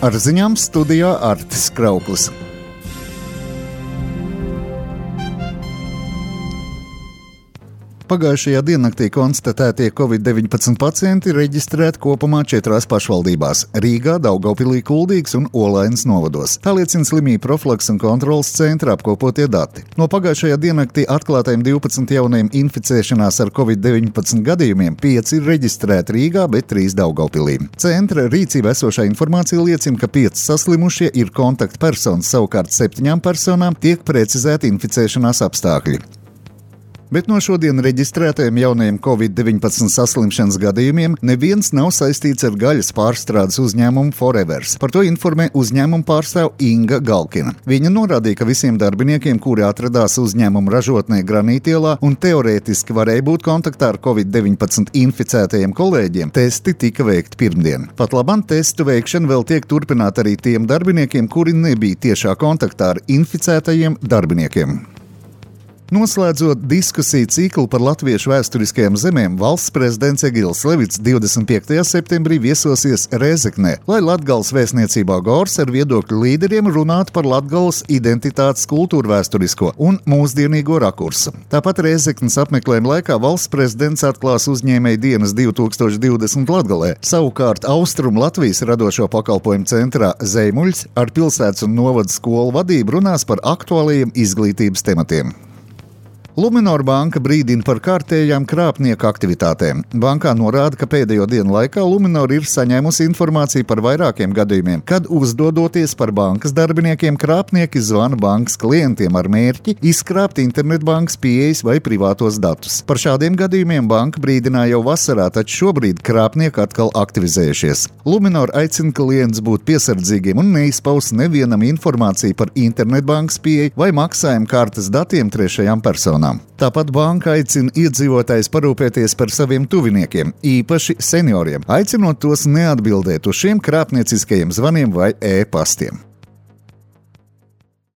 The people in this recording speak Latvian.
Ar ziņām studijā Artis Krauklis. Pagājušajā diennaktī konstatētie Covid-19 pacienti reģistrēti kopumā 4 pašvaldībās – Rīgā, Daugavpilī, Kuldīgas un Olainas novados. Tā liecina slimību profilakses un kontroles centra apkopotie dati. No pagājušajā diennaktī atklātajiem 12 jaunajiem inficēšanās ar Covid-19 gadījumiem 5 ir reģistrēti Rīgā, bet 3 Daugavpilī. Centra rīcībā esošā informācija liecina, ka 5 saslimušie ir kontaktpersonas, savukārt 7 personām tiek precizēti inficēšanās apstākļi. Bet no šodien reģistrētajiem jaunajiem Covid-19 saslimšanas gadījumiem neviens nav saistīts ar gaļas pārstrādes uzņēmumu Forevers. Par to informē uzņēmuma pārstāve Inga Galkina. Viņa norādīja, ka visiem darbiniekiem, kuri atradās uzņēmuma ražotnē Granītielā un teorētiski varēja būt kontaktā ar Covid-19 inficētajiem kolēģiem, testi tika veikti pirmdien. Pat labam testu veikšana vēl tiek turpināta arī tiem darbiniekiem, kuri nebija tiešā kontaktā ar inficētajiem darbiniekiem. Noslēdzot diskusiju ciklu par latviešu vēsturiskajām zemēm, valsts prezidents Egils Levits 25. septembrī viesosies Rēzeknē, lai Latgales vēstniecībā Gors ar viedokļu līderiem runātu par Latgales identitātes kultūrvēsturisko un mūsdienīgo rakursu. Tāpat Rēzeknes apmeklējuma laikā valsts prezidents atklās uzņēmēju dienas 2020 Latgalē. Savukārt Austrum Latvijas radošo pakalpojumu centrā Zeimuļs ar pilsētas un novada skolu vadību runās par aktuālajiem izglītības tematiem. Luminor banka brīdina par kārtējām krāpnieku aktivitātēm. Bankā norāda, ka pēdējo dienu laikā Luminor ir saņēmusi informāciju par vairākiem gadījumiem, kad uzdodoties par bankas darbiniekiem, krāpnieki zvana bankas klientiem ar mērķi izkrāpt internetbankas pieejas vai privātos datus. Par šādiem gadījumiem banka brīdināja jau vasarā, taču šobrīd krāpnieki atkal aktivizējušies. Luminor aicina klientus būt piesardzīgiem un neizpaust nevienam informāciju par internetbankas pieeju vai maksājumu kartes datiem trešajām personām. Tāpat banka aicina iedzīvotājus parūpēties par saviem tuviniekiem, īpaši senioriem, aicinot tos neatbildēt uz šiem krāpnieciskajiem zvaniem vai e-pastiem.